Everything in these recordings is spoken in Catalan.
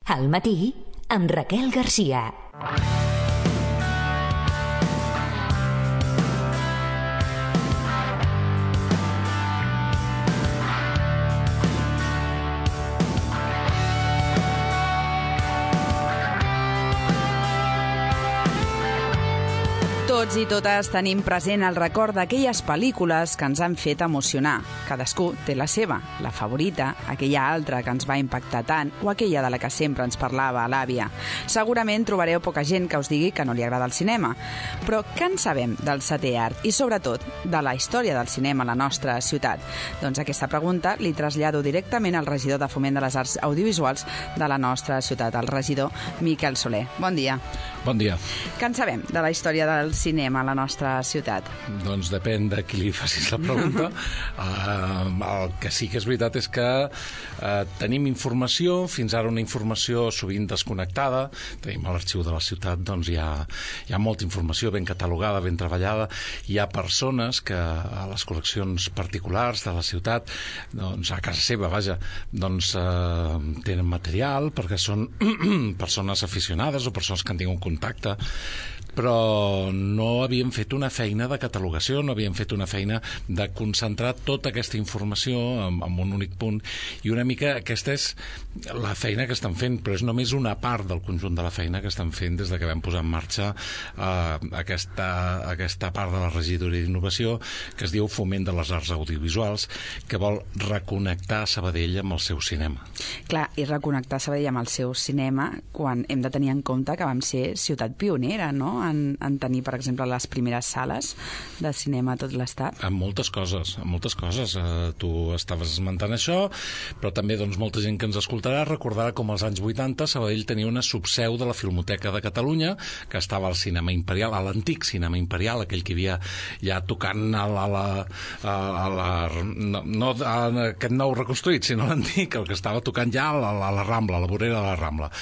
Al matí, amb Raquel Garcia. Tots i totes tenim present el record d'aquelles pel·lícules que ens han fet emocionar. Cadascú té la seva, la favorita, aquella altra que ens va impactar tant o aquella de la que sempre ens parlava l'àvia. Segurament trobareu poca gent que us digui que no li agrada el cinema. Però què en sabem del setè art i, sobretot, de la història del cinema a la nostra ciutat? Doncs aquesta pregunta li trasllado directament al regidor de Foment de les Arts Audiovisuals de la nostra ciutat, el regidor Miquel Soler. Bon dia. Bon dia. Què en sabem de la història del cinema a la nostra ciutat? Doncs depèn de qui li facis la pregunta. El que sí que és veritat és que tenim informació, fins ara una informació sovint desconnectada. Tenim a l'arxiu de la ciutat, doncs hi ha molta informació ben catalogada, ben treballada. Hi ha persones que a les col·leccions particulars de la ciutat, doncs a casa seva, vaja, doncs tenen material perquè són persones aficionades o persones que han tingut contacte, però no havíem fet una feina de catalogació, no havíem fet una feina de concentrar tota aquesta informació en un únic punt, i una mica aquesta és la feina que estan fent, però és només una part del conjunt de la feina que estan fent des de que vam posar en marxa aquesta part de la regidoria d'innovació que es diu Foment de les Arts Audiovisuals, que vol reconnectar Sabadell amb el seu cinema. Clar, i reconnectar Sabadell amb el seu cinema quan hem de tenir en compte que vam ser ciutat pionera, no?, en tenir, per exemple, les primeres sales de cinema a tot l'estat. En moltes coses, en moltes coses. Tu estaves esmentant això, però també doncs, molta gent que ens escoltarà recordarà com als anys 80 Sabadell tenia una subseu de la Filmoteca de Catalunya, que estava al Cinema Imperial, a l'antic Cinema Imperial, aquell que hi havia ja tocant no aquest nou reconstruït, sinó l'antic, el que estava tocant ja a la Rambla, a la vorera de la Rambla.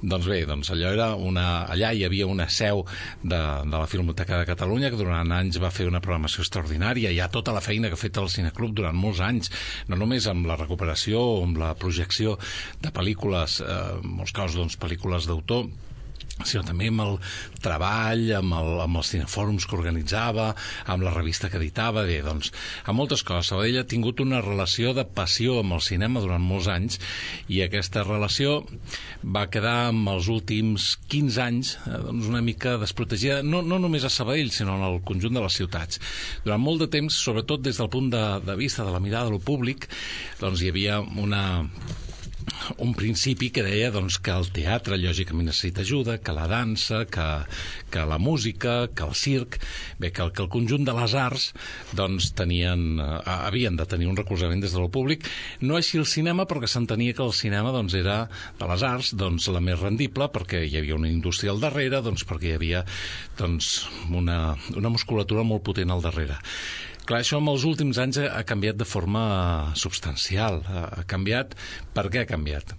Doncs bé, allò era allà hi havia una seu de la Filmoteca de Catalunya, que durant anys va fer una programació extraordinària. Hi ha tota la feina que ha fet el Cineclub durant molts anys, no només amb la recuperació o amb la projecció de pel·lícules, en molts casos doncs, pel·lícules d'autor, sinó també amb el treball, amb els cinefòrums que organitzava, amb la revista que editava, bé, doncs, amb moltes coses. Sabadell ha tingut una relació de passió amb el cinema durant molts anys, i aquesta relació va quedar amb els últims 15 anys doncs una mica desprotegida, no només a Sabadell, sinó en el conjunt de les ciutats. Durant molt de temps, sobretot des del punt de vista de la mirada del públic, doncs hi havia un principi que deia doncs, que el teatre lògicament necessita ajuda, que la dansa, que la música, que el circ, bé, que el conjunt de les arts doncs, havien de tenir un recolzament des del públic. No així el cinema, perquè s'entenia que el cinema doncs, era de les arts doncs, la més rendible, perquè hi havia una indústria al darrere, doncs, perquè hi havia doncs, una musculatura molt potent al darrere. Clar, això en els últims anys ha canviat de forma substancial. Ha canviat. Per què ha canviat?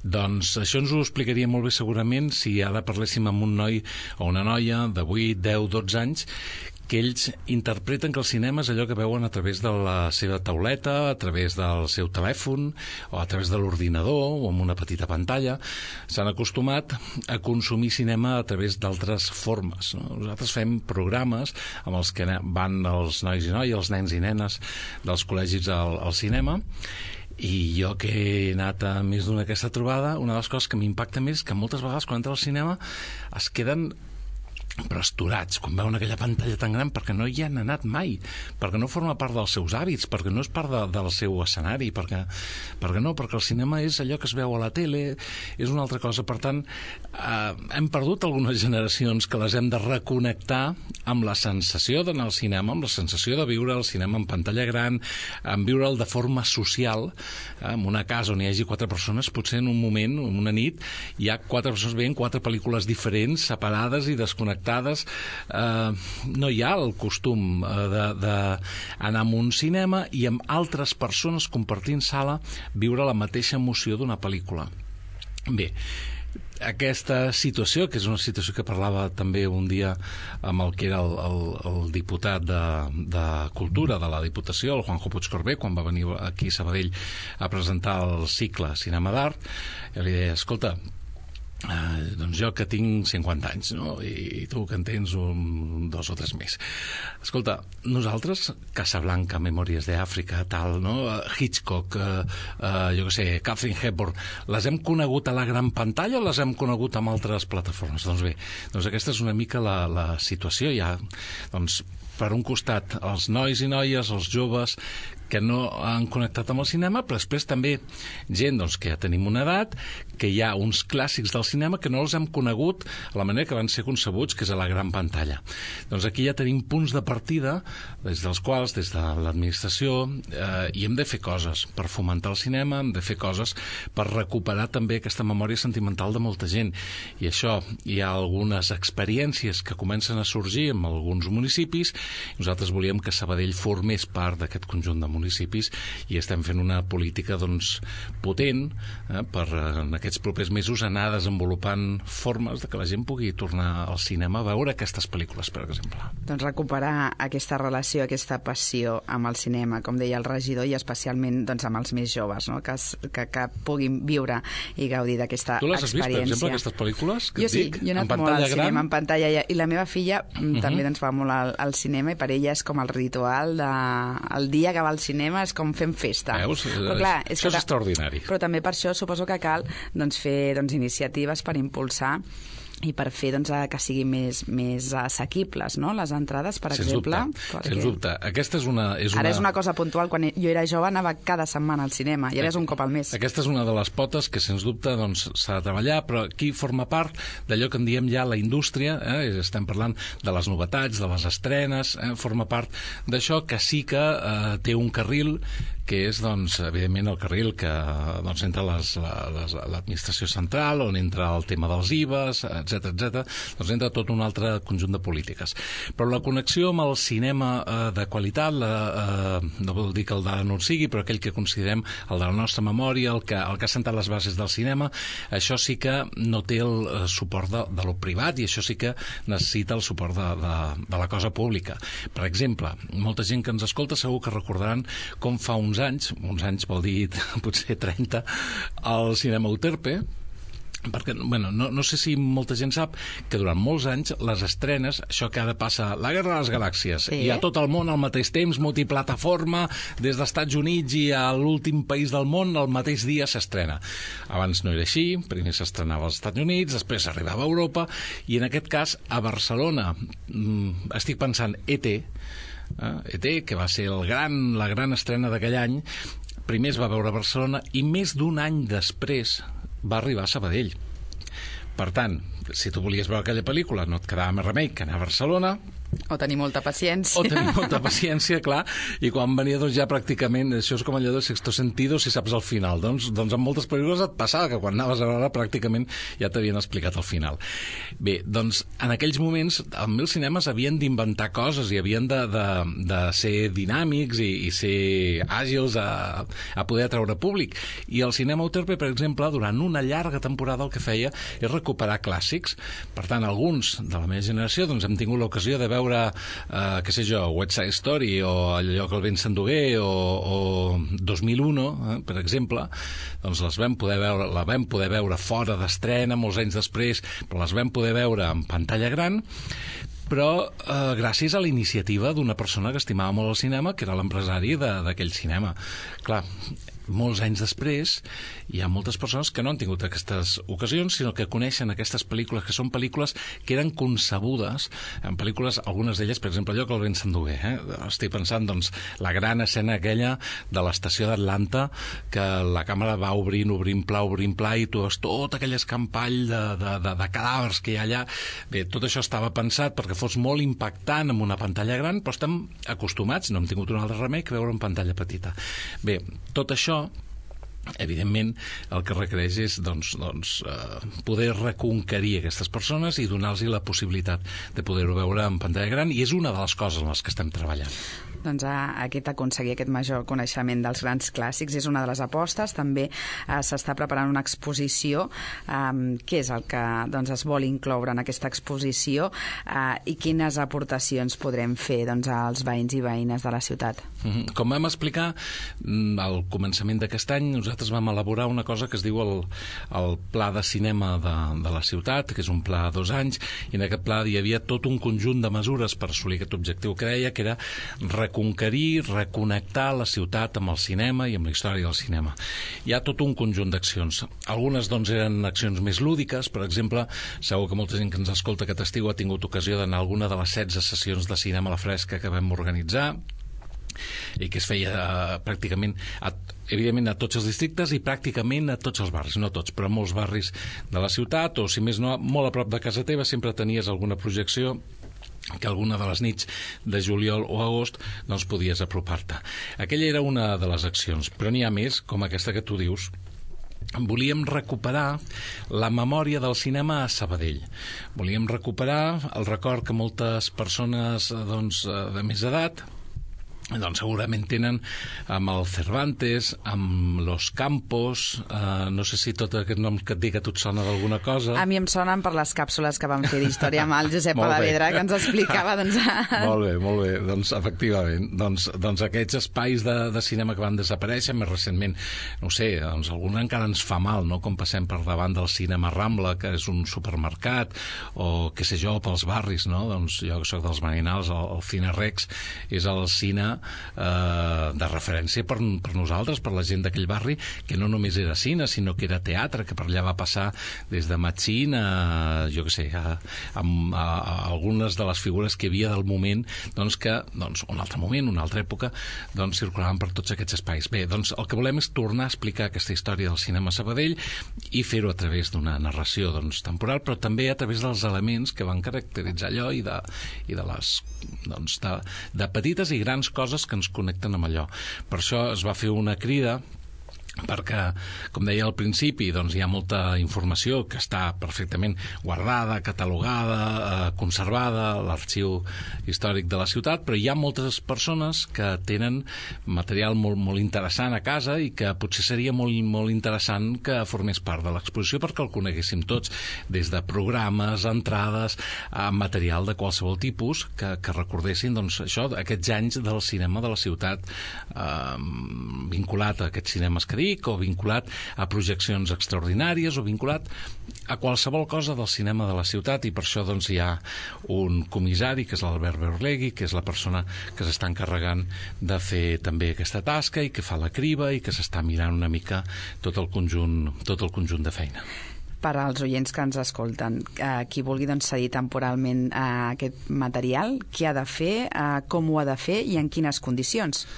Doncs això ens ho explicaria molt bé segurament si ara parléssim amb un noi o una noia de 8, 10, 12 anys, que ells interpreten que el cinema és allò que veuen a través de la seva tauleta, a través del seu telèfon o a través de l'ordinador o amb una petita pantalla. S'han acostumat a consumir cinema a través d'altres formes. Nosaltres fem programes amb els que van els nois i noies, els nens i nenes dels col·legis al cinema, i jo que he anat a més d'una aquesta trobada, una de les coses que m'impacta més és que moltes vegades quan entra al cinema es queden però esturats, quan veuen aquella pantalla tan gran, perquè no hi han anat mai, perquè no forma part dels seus hàbits, perquè no és part del seu escenari, perquè el cinema és allò que es veu a la tele, és una altra cosa. Per tant, hem perdut algunes generacions que les hem de reconnectar amb la sensació d'anar al cinema, amb la sensació de viure el cinema en pantalla gran, en viure'l de forma social, en una casa on hi hagi 4 persones, potser en un moment, en una nit, hi ha 4 persones veient 4 pel·lícules diferents, separades i desconnectades. No hi ha el costum d'anar a un cinema i amb altres persones compartint sala viure la mateixa emoció d'una pel·lícula. Bé, aquesta situació, que és una situació que parlava també un dia amb el que era el diputat de Cultura de la Diputació, el Juanjo Puigcorbé, quan va venir aquí a Sabadell a presentar el cicle Cinema d'Art, jo li deia, escolta, doncs jo que tinc 50 anys, no? I tu que en tens 2 o 3 més. Escolta, nosaltres, Casablanca, Memòries d'Àfrica, tal, no? Hitchcock, jo què sé, Katharine Hepburn, les hem conegut a la gran pantalla o les hem conegut amb altres plataformes? Doncs bé, doncs aquesta és una mica la situació. Hi ha, doncs, per un costat, els nois i noies, els joves, que no han connectat amb el cinema, però després també gent doncs, que ja tenim una edat, que hi ha uns clàssics del cinema que no els hem conegut a la manera que van ser concebuts, que és a la gran pantalla. Doncs aquí ja tenim punts de partida des dels quals, des de l'administració, hi hem de fer coses per fomentar el cinema, hem de fer coses per recuperar també aquesta memòria sentimental de molta gent. I això, hi ha algunes experiències que comencen a sorgir en alguns municipis. Nosaltres volíem que Sabadell formés part d'aquest conjunt de municipis i estem fent una política doncs, potent per en aquests propers mesos anar desenvolupant formes de que la gent pugui tornar al cinema a veure aquestes pel·lícules, per exemple. Doncs recuperar aquesta relació, aquesta passió amb el cinema, com deia el regidor, i especialment doncs, amb els més joves, no? que puguin viure i gaudir d'aquesta experiència. Tu les has vist, per exemple, aquestes pel·lícules? Jo sí, jo he anat molt al cinema en pantalla i la meva filla també doncs, va molt al cinema i per ella és com el ritual el dia que va al cinema és com fem festa. Veus? Però, clar, això és extraordinari. Però també per això suposo que cal doncs, fer iniciatives per impulsar i per fer doncs, que siguin més assequibles, no? Les entrades, per exemple. Sens dubte. Aquesta és una... Ara és una cosa puntual. Quan jo era jove anava cada setmana al cinema i ara és un cop al mes. Aquesta és una de les potes que, sens dubte, doncs, s'ha de treballar, però aquí forma part d'allò que en diem ja la indústria, estem parlant de les novetats, de les estrenes, forma part d'això que sí que té un carril que és, doncs, evidentment, el carril que doncs, entra l'administració central, on entra el tema dels IVAs, etc, doncs entra tot un altre conjunt de polítiques. Però la connexió amb el cinema de qualitat, no vol dir que el d'ara no en sigui, però aquell que considerem el de la nostra memòria, el que ha sentat les bases del cinema, això sí que no té el suport de lo privat i això sí que necessita el suport de la cosa pública. Per exemple, molta gent que ens escolta segur que recordaran com fa uns anys vol dir potser 30, al cinema Euterpe, perquè, bueno, no sé si molta gent sap que durant molts anys les estrenes, això que ara passa la Guerra de les Galàxies, i a tot el món al mateix temps, multiplataforma, des dels Estats Units i a l'últim país del món, el mateix dia s'estrena. Abans no era així, primer s'estrenava als Estats Units, després arribava a Europa, i en aquest cas a Barcelona, estic pensant E.T., que va ser la gran estrena d'aquell any, primer es va veure a Barcelona i més d'un any després va arribar a Sabadell. Per tant, si tu volies veure aquella pel·lícula no et quedava més remei que anar a Barcelona, o tenir molta paciència. Clar, i quan venia doncs ja pràcticament, això és com allò del sexto sentido si saps el final, doncs en moltes pel·lícules et passava que quan anaves a veure pràcticament ja t'havien explicat el final. Bé, doncs en aquells moments els cinemes havien d'inventar coses i havien de ser dinàmics i ser àgils a poder atraure públic, i el cinema Euterpe, per exemple, durant una llarga temporada el que feia és recuperar clàssics. Per tant, alguns de la meva generació doncs hem tingut l'ocasió de veure què sé jo, West Side Story o allò que el vent s'endugué o 2001, per exemple, doncs la vam poder veure fora d'estrena molts anys després, però les vam poder veure en pantalla gran, però gràcies a la iniciativa d'una persona que estimava molt el cinema, que era l'empresari d'aquell cinema. Clar, molts anys després hi ha moltes persones que no han tingut aquestes ocasions, sinó que coneixen aquestes pel·lícules, que són pel·lícules que eren concebudes, en pel·lícules, algunes d'elles, per exemple, allò que el vent s'endugué. Estic pensant, doncs, la gran escena aquella de l'estació d'Atlanta, que la càmera va obrint pla, i tu veus tot aquell escampall de cadàvers que hi ha allà. Bé, tot això estava pensat perquè fos molt impactant en una pantalla gran, però estem acostumats, no hem tingut un altre remei que veure en pantalla petita. Bé, tot això evidentment el que requereix és poder reconquerir aquestes persones i donar-los la possibilitat de poder-ho veure en pantalla gran, i és una de les coses en les que estem treballant. Doncs aconseguir aquest major coneixement dels grans clàssics és una de les apostes. També s'està preparant una exposició. Què és el que es vol incloure en aquesta exposició i quines aportacions podrem fer als veïns i veïnes de la ciutat? Com vam explicar al començament d'aquest any, nosaltres vam elaborar una cosa que es diu el Pla de Cinema de la ciutat, que és un pla a 2 anys, i en aquest pla hi havia tot un conjunt de mesures per assolir aquest objectiu que deia que era reconquerir, reconnectar la ciutat amb el cinema i amb la història del cinema. Hi ha tot un conjunt d'accions. Algunes eren accions més lúdiques, per exemple, segur que molta gent que ens escolta aquest estiu ha tingut ocasió d'anar a alguna de les 16 sessions de cinema a la fresca que vam organitzar i que es feia pràcticament evidentment a tots els districtes i pràcticament a tots els barris, no tots, però molts barris de la ciutat, o si més no, molt a prop de casa teva sempre tenies alguna projecció que alguna de les nits de juliol o agost podies apropar-te. Aquella era una de les accions, però n'hi ha més, com aquesta que tu dius. Volíem recuperar la memòria del cinema a Sabadell. Volíem recuperar el record que moltes persones de més edat segurament tenen amb el Cervantes, amb Los Campos, no sé si tot aquest nom que et dic a tu et sona d'alguna cosa. A mi em sonen per les càpsules que vam fer d'història amb el Josep Alavedra, que ens explicava. Molt bé, efectivament. Aquests espais de cinema que van desaparèixer més recentment, no sé, algun encara ens fa mal, no? Com passem per davant del cinema Rambla, que és un supermercat, o què sé jo, pels barris, no? Jo que soc dels Marinals, el Cine Rex és el cine de referència per nosaltres, per la gent d'aquell barri, que no només era cine, sinó que era teatre, que per allà va passar des de Machín a, jo què sé, a algunes de les figures que hi havia del moment, que, un altre moment, una altra època, circulaven per tots aquests espais. Bé, el que volem és tornar a explicar aquesta història del cinema a Sabadell i fer-ho a través d'una narració temporal, però també a través dels elements que van caracteritzar allò i de les de petites i grans coses que ens connecten amb allò. Per això es va fer una crida perquè, com deia al principi, hi ha molta informació que està perfectament guardada, catalogada, conservada a l'arxiu històric de la ciutat, però hi ha moltes persones que tenen material molt interessant a casa i que potser seria molt interessant que formés part de l'exposició perquè el coneguéssim tots, des de programes, entrades, material de qualsevol tipus que recordessin això, aquests anys del cinema de la ciutat vinculat a aquests cinemes que dic, o vinculat a projeccions extraordinàries, o vinculat a qualsevol cosa del cinema de la ciutat, i per això hi ha un comissari, que és l'Albert Berlegui, que és la persona que s'està encarregant de fer també aquesta tasca i que fa la criba i que s'està mirant una mica tot el conjunt de feina. Per als oients que ens escolten, qui vulgui cedir temporalment aquest material, què ha de fer, com ho ha de fer i en quines condicions?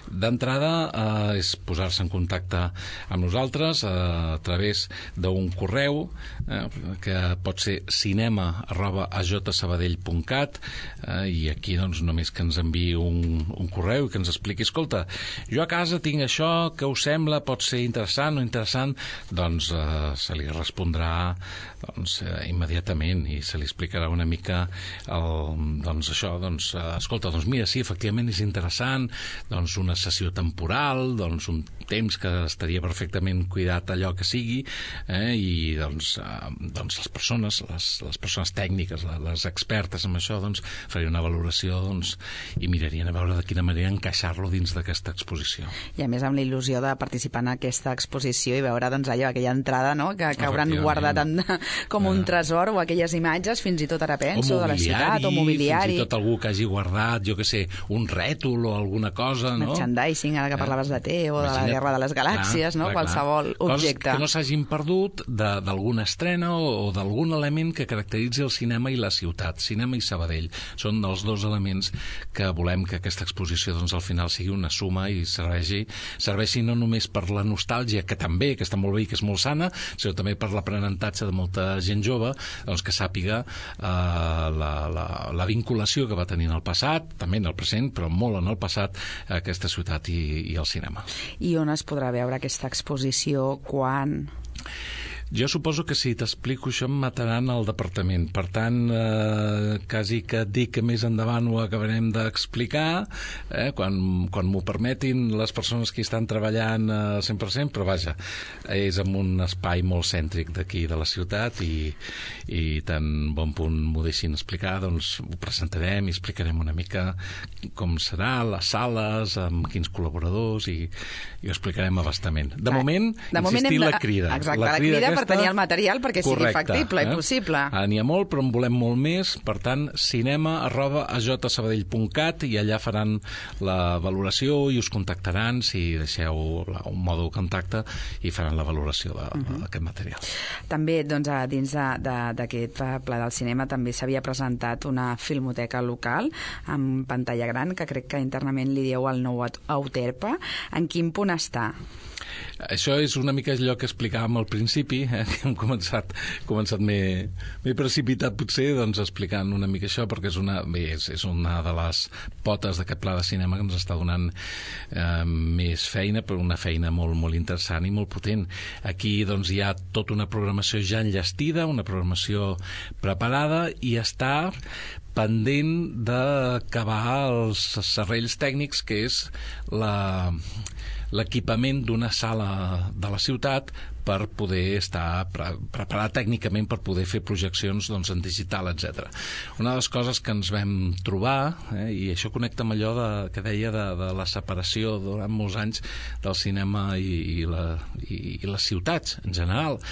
D'entrada és posar-se en contacte amb nosaltres a través d'un correu que pot ser cinema@ajsabadell.cat i aquí només que ens enviï un correu i que ens expliqui, escolta, jo a casa tinc això, què us sembla, pot ser interessant o interessant, se li respondrà immediatament i se li explicarà una mica escolta, mira, sí, efectivament és interessant, una sessió temporal, un temps que estaria perfectament cuidat allò que sigui, i les persones tècniques, les expertes en això, farien una valoració i mirarien a veure de quina manera encaixar-lo dins d'aquesta exposició. I a més amb la il·lusió de participar en aquesta exposició i veure aquella entrada, no?, que hauran guardat com un tresor, o aquelles imatges, fins i tot ara penso, de la ciutat, o mobiliari. Fins i tot algú que hagi guardat, jo què sé, un rètol o alguna cosa, no? Merchandising, ara que parlaves de T, o de la Guerra de les Galàxies, no? Qualsevol objecte. Que no s'hagin perdut d'alguna estrena o d'algun element que caracteritzi el cinema i la ciutat, cinema i Sabadell. Són els dos elements que volem que aquesta exposició al final sigui una suma i serveixi no només per la nostàlgia, que també, que està molt bé i que és molt sana, sinó també per l'aprenentatge de molta gent jove, que sàpiga la vinculació que va tenir en el passat, també en el present, però molt en el passat, aquesta ciutat i el cinema. I on es podrà veure aquesta exposició? Quan? Jo suposo que si t'explico això em mataran al departament. Per tant, quasi que et dic que més endavant ho acabarem d'explicar, quan m'ho permetin les persones que hi estan treballant 100%, però vaja, és en un espai molt cèntric d'aquí de la ciutat i tan bon punt m'ho deixin explicar, doncs ho presentarem i explicarem una mica com serà, les sales, amb quins col·laboradors i ho explicarem a bastament. De moment, insistir la crida. Exacte, la crida per tenir el material perquè sigui factible i possible. N'hi ha molt, però en volem molt més. Per tant, cinema@ajsabadell.cat i allà faran la valoració i us contactaran si deixeu un mòdul contacte i faran la valoració d'aquest material. També, doncs, dins d'aquest Pla del Cinema també s'havia presentat una filmoteca local amb pantalla gran, que crec que internament li dieu el nou Euterpe. En quin punt està? Això és una mica allò que explicàvem al principi, que hem començat m'he precipitat potser doncs, explicant una mica això, perquè és una de les potes d'aquest pla de cinema que ens està donant més feina, però una feina molt, molt interessant i molt potent. Aquí doncs, hi ha tota una programació ja enllestida, una programació preparada i està pendent d'acabar els serrells tècnics, que és l'equipament d'una sala de la ciutat per poder estar preparat tècnicament per poder fer projeccions doncs, en digital, etc. Una de les coses que ens vam trobar, i això connecta amb allò que deia de la separació durant molts anys del cinema i les ciutats en general,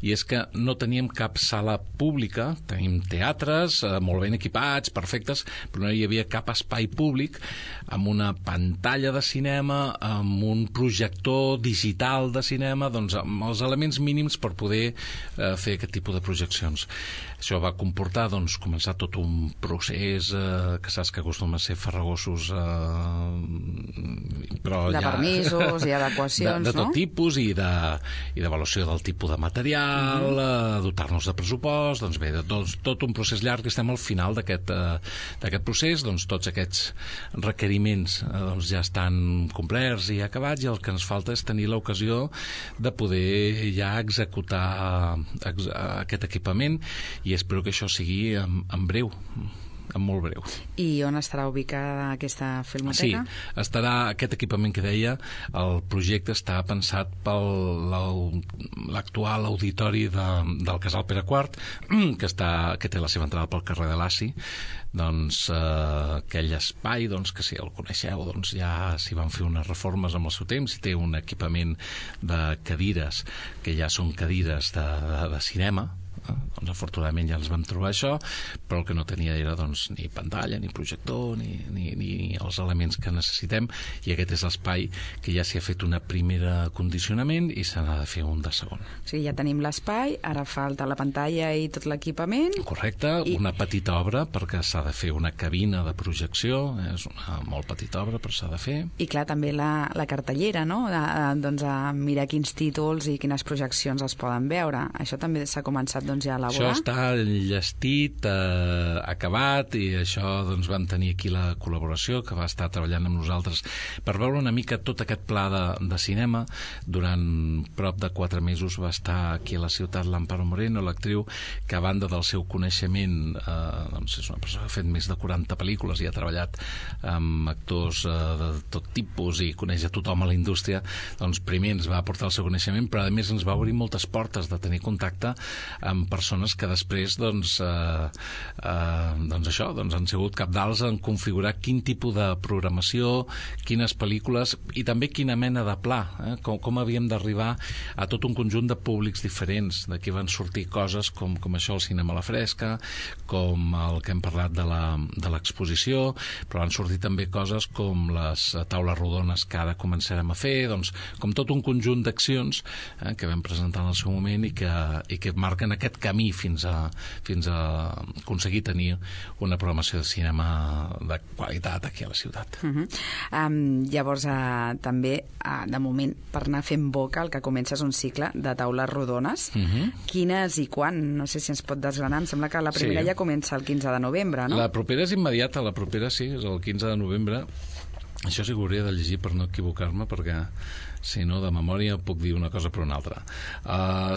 i és que no teníem cap sala pública, tenim teatres molt ben equipats, perfectes, però no hi havia cap espai públic amb una pantalla de cinema, amb un projector digital de cinema, doncs amb els elements mínims per poder fer aquest tipus de projeccions. Això va comportar doncs, començar tot un procés que saps que acostuma a ser farragosos, però de permisos i adequacions, de tot tipus i d'avaluació del tipus de material, dotar-nos de pressupost, doncs bé, tot un procés llarg. Estem al final d'aquest procés, doncs tots aquests requeriments doncs, ja estan complerts i acabats, i el que ens falta és tenir l'ocasió de poder ja executar aquest equipament, i espero que això sigui en breu, en molt breu. I on estarà ubicada aquesta filmoteca? Sí, estarà aquest equipament que deia, el projecte està pensat per l'actual auditori del Casal Pere IV, que té la seva entrada pel carrer de l'Aci. Doncs aquell espai, doncs, que si el coneixeu, doncs ja s'hi van fer unes reformes amb el seu temps, i té un equipament de cadires que ja són cadires de cinema. Doncs afortunadament ja ens vam trobar això, però el que no tenia era doncs, ni pantalla, ni projector, ni els elements que necessitem, i aquest és l'espai que ja s'hi ha fet una primera condicionament i se n'ha de fer un de segon. O sigui, ja tenim l'espai, ara falta la pantalla i tot l'equipament. Correcte, una petita obra perquè s'ha de fer una cabina de projecció, és una molt petita obra però s'ha de fer. I clar, també la cartellera, no? Doncs a mirar quins títols i quines projeccions es poden veure. Això també s'ha començat doncs, ja a elaborar. Això està enllestit, acabat, i això doncs, vam tenir aquí la col·laboració que va estar treballant amb nosaltres per veure una mica tot aquest pla de cinema. Durant prop de 4 mesos va estar aquí a la ciutat l'Amparo Moreno, l'actriu, que a banda del seu coneixement doncs és una persona que ha fet més de 40 pel·lícules i ha treballat amb actors de tot tipus i coneix a tothom a la indústria. Doncs primer ens va aportar el seu coneixement, però a més ens va obrir moltes portes de tenir contacte amb persones que després doncs això, doncs han sigut cabdals en configurar quin tipus de programació, quines pel·lícules i també quina mena de pla, com havíem d'arribar a tot un conjunt de públics diferents. D'aquí van sortir coses com això, el cinema a la fresca, com el que hem parlat de l'exposició, però van sortir també coses com les taules rodones que ara començarem a fer, doncs com tot un conjunt d'accions que vam presentar en el seu moment i que marquen aquest camí fins a aconseguir tenir una programació de cinema de qualitat aquí a la ciutat. Llavors, també, de moment, per anar fent boca, el que comença és un cicle de taules rodones. Quines i quan? No sé si ens pot desgranar. Em sembla que la primera ja comença el 15 de novembre, no? La propera és immediata, la propera sí, és el 15 de novembre. Això sí que ho hauria de llegir per no equivocar-me, perquè si no, de memòria puc dir una cosa per una altra.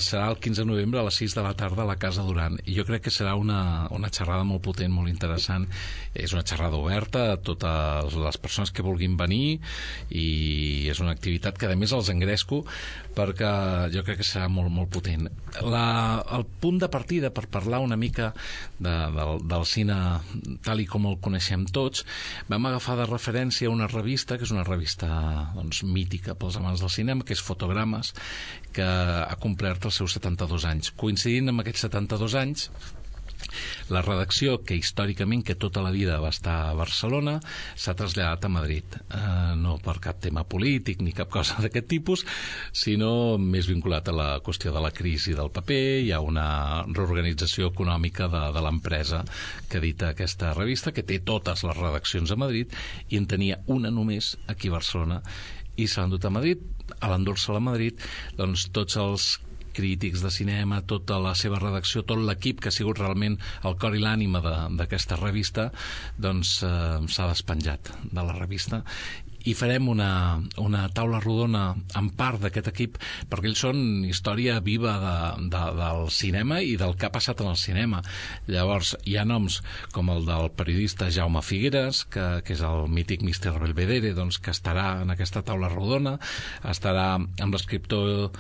Serà el 15 de novembre a les 6 de la tarda a la Casa Duran, i jo crec que serà una xerrada molt potent, molt interessant. És una xerrada oberta a totes les persones que vulguin venir, i és una activitat que a més els engresco perquè jo crec que serà molt, molt potent. El punt de partida per parlar una mica del cine tal i com el coneixem tots, vam agafar de referència una revista, que és una revista mítica pels amants del cinema, que és Fotogrames, que ha complert els seus 72 anys. Coincidint amb aquests 72 anys, la redacció, que històricament, que tota la vida va estar a Barcelona, s'ha traslladat a Madrid. No per cap tema polític ni cap cosa d'aquest tipus, sinó més vinculat a la qüestió de la crisi del paper. Hi ha una reorganització econòmica de l'empresa que edita aquesta revista, que té totes les redaccions a Madrid, i en tenia una només aquí a Barcelona, i se l'han dut a Madrid. A l'endur-se-la a Madrid, doncs tots els crítics de cinema, tota la seva redacció, tot l'equip que ha sigut realment el cor i l'ànima d'aquesta revista, doncs s'ha despenjat de la revista, i farem una taula rodona en part d'aquest equip, perquè ells són història viva del cinema i del que ha passat en el cinema. Llavors hi ha noms com el del periodista Jaume Figueres, que és el mític Mr. Belvedere, doncs, que estarà en aquesta taula rodona. Estarà amb l'escriptor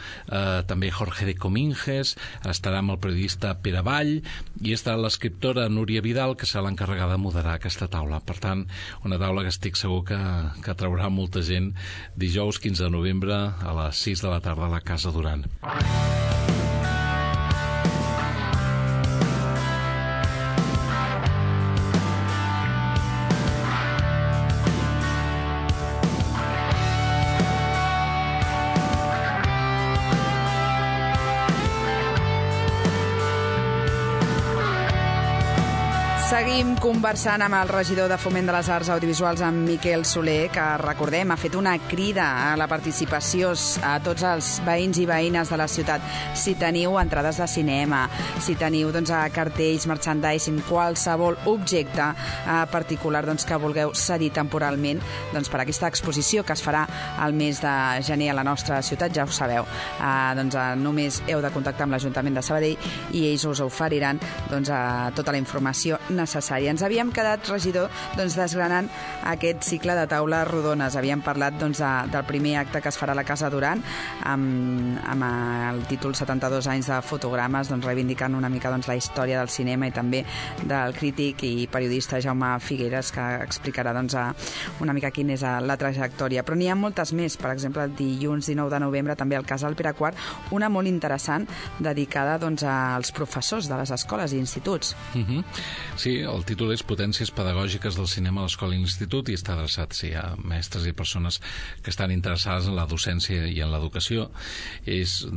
també Jorge de Cominges, estarà amb el periodista Pere Vall, i estarà l'escriptora Núria Vidal, que serà l'encarregada de moderar aquesta taula. Per tant, una taula que estic segur que traurà molta gent dijous 15 de novembre a les 6 de la tarda a la Casa Duran. Seguim conversant amb el regidor de Foment de les Arts Audiovisuals, en Miquel Soler, que, recordem, ha fet una crida a la participació a tots els veïns i veïnes de la ciutat. Si teniu entrades de cinema, si teniu cartells, merchandising, qualsevol objecte particular que vulgueu cedir temporalment per aquesta exposició que es farà al mes de gener a la nostra ciutat, ja ho sabeu. Només heu de contactar amb l'Ajuntament de Sabadell i ells us oferiran tota la informació necessària. Ens havíem quedat, regidor, desgranant aquest cicle de taules rodones. Havíem parlat del primer acte que es farà a la Casa Duran amb el títol 72 anys de Fotogrames, reivindicant una mica la història del cinema i també del crític i periodista Jaume Figueres, que explicarà una mica quina és la trajectòria. Però n'hi ha moltes més. Per exemple, el dilluns 19 de novembre també al Casal Pere IV, una molt interessant dedicada als professors de les escoles i instituts. Sí, el títol és Potències pedagògiques del cinema a l'escola i l'institut, i està adreçat a mestres i persones que estan interessades en la docència i en l'educació.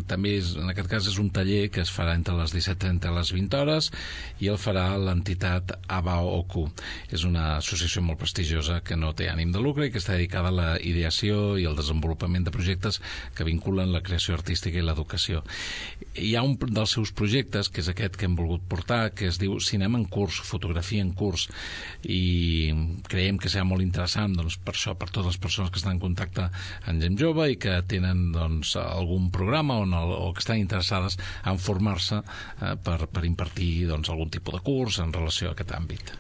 També, en aquest cas, és un taller que es farà entre les 17:30 i les 20 hores, i el farà l'entitat ABAOCU. És una associació molt prestigiosa que no té ànim de lucre i que està dedicada a la ideació i al desenvolupament de projectes que vinculen la creació artística i l'educació. Hi ha un dels seus projectes, que és aquest que hem volgut portar, que es diu Cinema en curs, fotografia en curs, i creiem que serà molt interessant per això, per totes les persones que estan en contacte amb gent jove i que tenen algun programa o que estan interessades en formar-se per impartir algun tipus de curs en relació a aquest àmbit.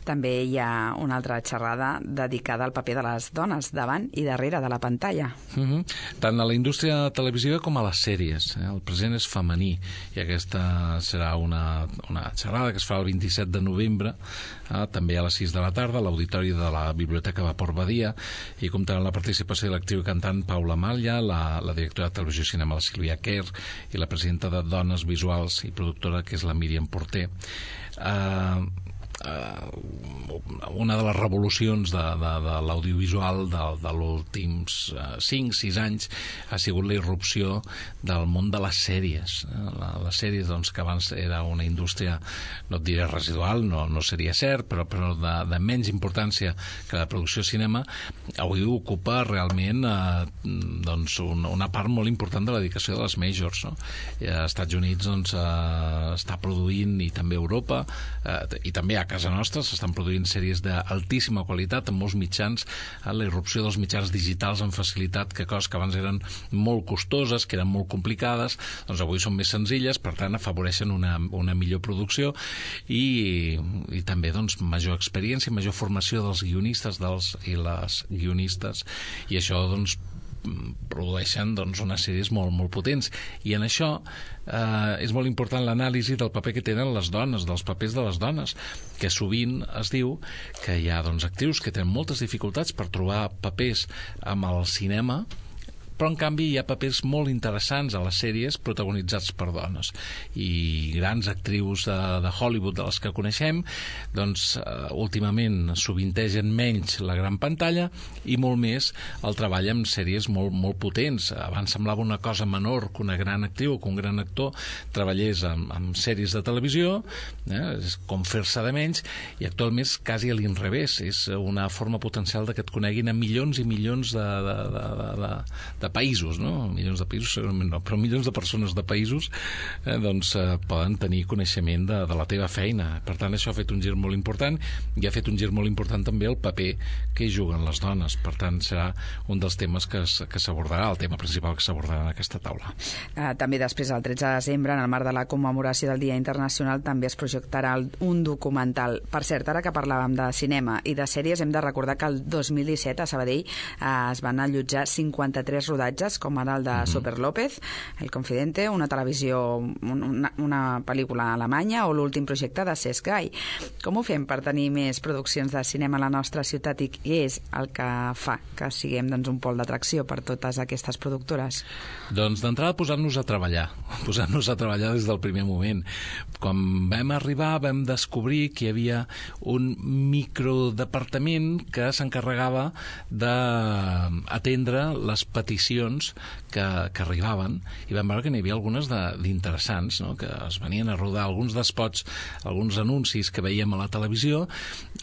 També hi ha una altra xerrada dedicada al paper de les dones davant i darrere de la pantalla. Tant a la indústria televisiva com a les sèries. El present és femení, i aquesta serà una xerrada que es farà el 27 de novembre, també a les 6 de la tarda, a l'auditori de la Biblioteca Vapor Badia, i comptarà amb la participació de l'actriu i cantant Paula Malla, la directora de Televisió i Cinema, la Sílvia Kerr, i la presidenta de Dones Visuals i productora, que és la Míriam Porter. Una de les revolucions de l'audiovisual de l'últims 5-6 anys ha sigut la irrupció del món de les sèries. Les sèries, que abans era una indústria, no et diré residual, no seria cert, però de menys importància que la producció de cinema, avui ocupa realment una part molt important de la dedicació de les majors. Als Estats Units està produint, i també a Europa, i també a casa nostra s'estan produint sèries d'altíssima qualitat en molts mitjans, la irrupció dels mitjans digitals amb facilitat, que coses que abans eren molt costoses, que eren molt complicades, doncs avui són més senzilles, per tant afavoreixen una millor producció i també doncs, major experiència, major formació dels guionistes i les guionistes, i això doncs produeixen doncs, unes sèries molt, molt potents, i en això és molt important l'anàlisi del paper que tenen les dones, dels papers de les dones, que sovint es diu que hi ha doncs, actrius que tenen moltes dificultats per trobar papers amb el cinema, però en canvi hi ha papers molt interessants a les sèries protagonitzats per dones, i grans actrius de Hollywood de les que coneixem doncs últimament sovintegen menys la gran pantalla i molt més el treball amb sèries molt, molt potents. Abans semblava una cosa menor que una gran actriu o que un gran actor treballés amb sèries de televisió, és com fer-se de menys, i actualment és quasi a l'inrevés, és una forma potencial de que et coneguin a milions i milions de països, no? Milions de països segurament no, però milions de persones de països poden tenir coneixement de la teva feina. Per tant, això ha fet un gir molt important, i ha fet un gir molt important també el paper que hi juguen les dones. Per tant, serà un dels temes que s'abordarà, el tema principal que s'abordarà en aquesta taula. També després, el 13 de desembre, en el marc de la commemoració del Dia Internacional, també es projectarà un documental. Per cert, ara que parlàvem de cinema i de sèries, hem de recordar que el 2017 a Sabadell es van allotjar 53 rodatges, com ara el de Super López, El Confidente, una televisió, una pel·lícula alemanya, o l'últim projecte de Cesc Gai. Com ho fem per tenir més produccions de cinema a la nostra ciutat, i què és el que fa que siguem doncs, un pol d'atracció per totes aquestes productores? Doncs d'entrada posant-nos a treballar des del primer moment. Quan vam arribar vam descobrir que hi havia un microdepartament que s'encarregava d'atendre les peticions que arribaven, i vam veure que n'hi havia algunes d'interessants, no? Que es venien a rodar alguns d'espots, alguns anuncis que veiem a la televisió.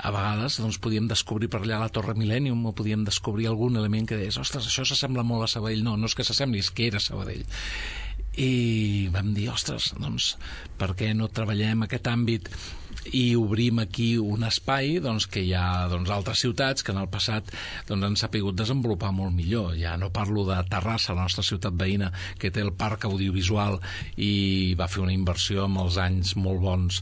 A vegades doncs, podíem descobrir per allà la Torre Millennium, o podíem descobrir algun element que deies, ostres, això s'assembla molt a Sabadell. No és que s'assembli, és que era Sabadell. I vam dir, ostres, doncs per què no treballem aquest àmbit i obrim aquí un espai doncs, que hi ha altres ciutats que en el passat han sapigut desenvolupar molt millor. Ja no parlo de Terrassa, la nostra ciutat veïna, que té el parc audiovisual i va fer una inversió en els anys molt bons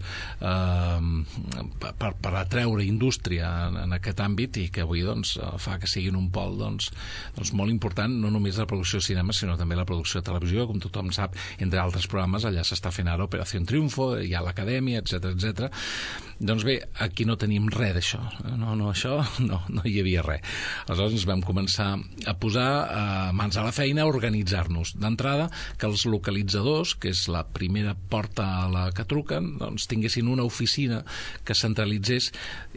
per atreure indústria en aquest àmbit, i que avui fa que siguin un pol molt important, no només la producció de cinema, sinó també la producció de televisió. Com tothom sap, entre altres programes, allà s'està fent ara Operació Triunfo, hi ha l'Acadèmia, etc. Doncs bé, aquí no tenim res d'això. No hi havia res. Aleshores ens vam començar a posar mans a la feina, a organitzar-nos. D'entrada, que els localitzadors, que és la primera porta a la que truquen, doncs tinguessin una oficina que centralitzés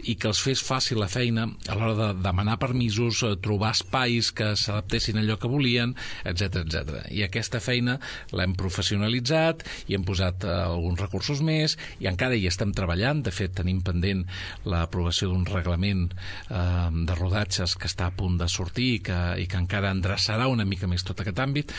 i que els fes fàcil la feina a l'hora de demanar permisos, trobar espais que s'adaptessin a allò que volien, etc. I aquesta feina l'hem professionalitzat i hem posat alguns recursos més, i encara hi estem treballant. De fet, tenim pendent l'aprovació d'un reglament de rodatges que està a punt de sortir i que encara endreçarà una mica més tot aquest àmbit,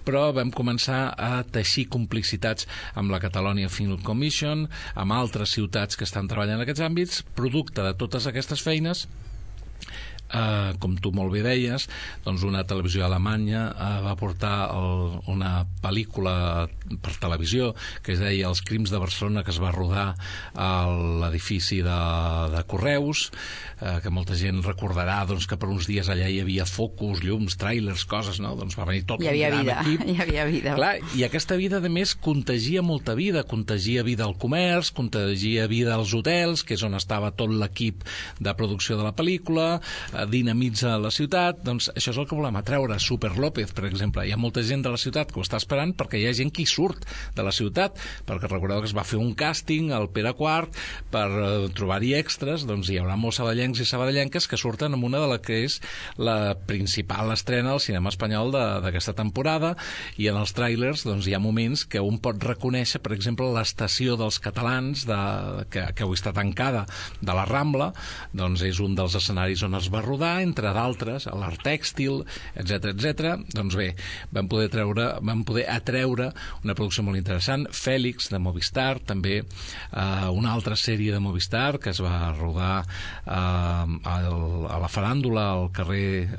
però vam començar a teixir complicitats amb la Catalonia Film Commission, amb altres ciutats que estan treballant en aquests àmbits. Producte de totes aquestes feines, com tu molt bé deies, doncs una televisió alemanya va portar una pel·lícula per televisió que es deia Els crims de Barcelona, que es va rodar a l'edifici de Correus, que molta gent recordarà que per uns dies allà hi havia focus, llums, tràilers, coses, no? Doncs va venir tot un gran equip. Hi havia vida. Clar, i aquesta vida, a més, contagia molta vida. Contagia vida al comerç, contagia vida als hotels, que és on estava tot l'equip de producció de la pel·lícula, dinamitza la ciutat. Doncs això és el que volem atreure. Super López, per exemple, hi ha molta gent de la ciutat que ho està esperant, perquè hi ha gent que hi surt de la ciutat, perquè recordeu que es va fer un càsting al Pere IV per trobar-hi extras. Doncs hi haurà molts sabadellencs i sabadellenques que surten amb una de la que és la principal estrena al cinema espanyol d'aquesta temporada, i en els tràilers doncs, hi ha moments que un pot reconèixer, per exemple, l'estació dels catalans que avui està tancada, de la Rambla. Doncs és un dels escenaris on es va rodar, entre d'altres, a l'art tèxtil, etc. Doncs bé, vam poder atreure una producció molt interessant, Fèlix, de Movistar, també una altra sèrie de Movistar que es va rodar a la faràndula, al carrer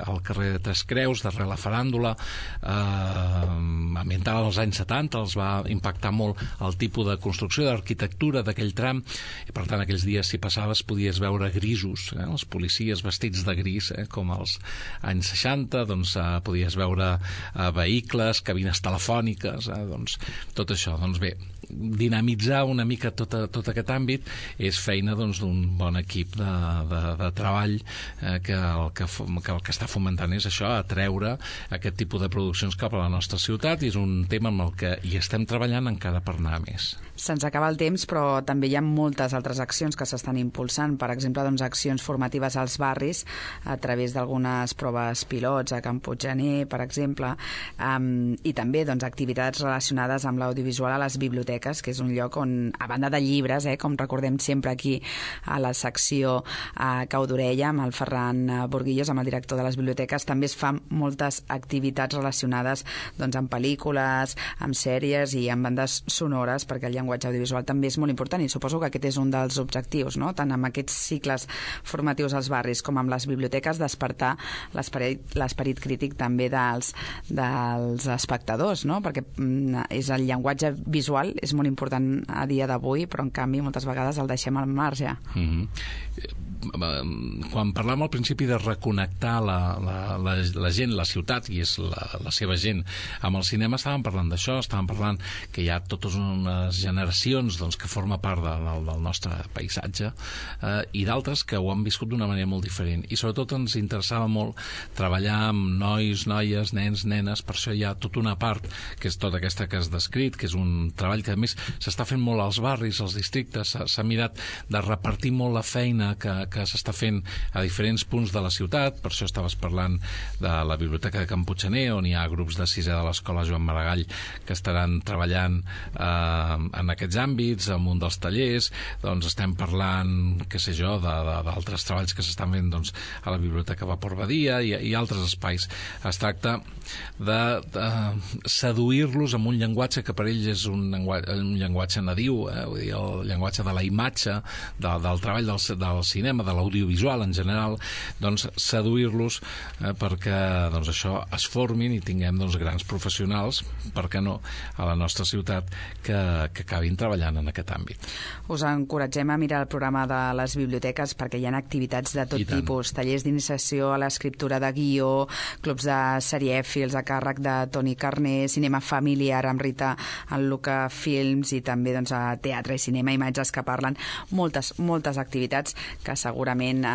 de Tres Creus, darrere la faràndula, ambientada als anys 70, els va impactar molt el tipus de construcció, d'arquitectura d'aquell tram, i per tant aquells dies si passaves podies veure grisos, els policies vestits de gris, com als anys 60, doncs podies veure vehicles, cabines telefòniques, doncs tot això. Doncs bé, dinamitzar una mica tot aquest àmbit és feina d'un bon equip de treball que el que està fomentant és això, atreure aquest tipus de produccions cap a la nostra ciutat, i és un tema amb el que hi estem treballant encara per anar més. Se'ns acaba el temps, però també hi ha moltes altres accions que s'estan impulsant. Per exemple, accions formatives als barris a través d'algunes proves pilots a Can Puiggener, per exemple, i també activitats relacionades amb l'audiovisual a les biblioteques, que és un lloc on, a banda de llibres, com recordem sempre aquí a la secció Cau d'Orella, amb el Ferran Burguillos, amb el director de les biblioteques, també es fan moltes activitats relacionades amb pel·lícules, amb sèries i amb bandes sonores, perquè el llenguatge audiovisual també és molt important, i suposo que aquest és un dels objectius, no? Tant amb aquests cicles formatius als barris com amb les biblioteques, despertar l'esperit crític també dels espectadors, no? Perquè és el llenguatge visual és molt important a dia d'avui, però en canvi moltes vegades el deixem al marge. Quan parlàvem al principi de reconnectar la gent, la ciutat, i és la seva gent, amb el cinema, estàvem parlant d'això, estàvem parlant que hi ha totes unes generacions que forma part del nostre paisatge, i d'altres que ho han viscut d'una manera molt diferent, i sobretot ens interessava molt treballar amb nois, noies, nens, nenes. Per això hi ha tota una part que és tota aquesta que has descrit, que és un treball que a més s'està fent molt als barris, als districtes, s'ha mirat de repartir molt la feina que s'està fent a diferents punts de la ciutat. Per això estaves parlant de la Biblioteca de Can Puiggener, on hi ha grups de sisè de l'Escola Joan Maragall que estaran treballant en aquests àmbits, en un dels tallers. Doncs estem parlant, què sé jo, d'altres treballs que s'estan fent a la Biblioteca Vapor Badia i altres espais. Es tracta de seduir-los amb un llenguatge que per ells és un llenguatge nadiu, vull dir, el llenguatge de la imatge, del treball del cinema, de l'audiovisual en general, seduir-los perquè això es formin i tinguem grans professionals, per què no, a la nostra ciutat que acabin treballant en aquest àmbit. Us encoratgem a mirar el programa de les biblioteques perquè hi ha activitats de tot tipus, tallers d'iniciació a l'escriptura de guió, clubs de serièfils a càrrec de Toni Carné, cinema familiar amb Rita en Luca Films, i també teatre i cinema, imatges que parlen, moltes activitats que segurament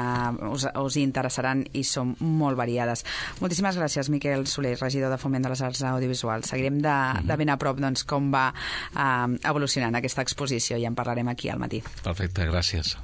us interessaran i són molt variades. Moltíssimes gràcies, Miquel Soler, regidor de Foment de les Arts Audiovisuals. Seguirem de ben a prop com va evolucionant aquesta exposició i en parlarem aquí al matí. Perfecte, gràcies.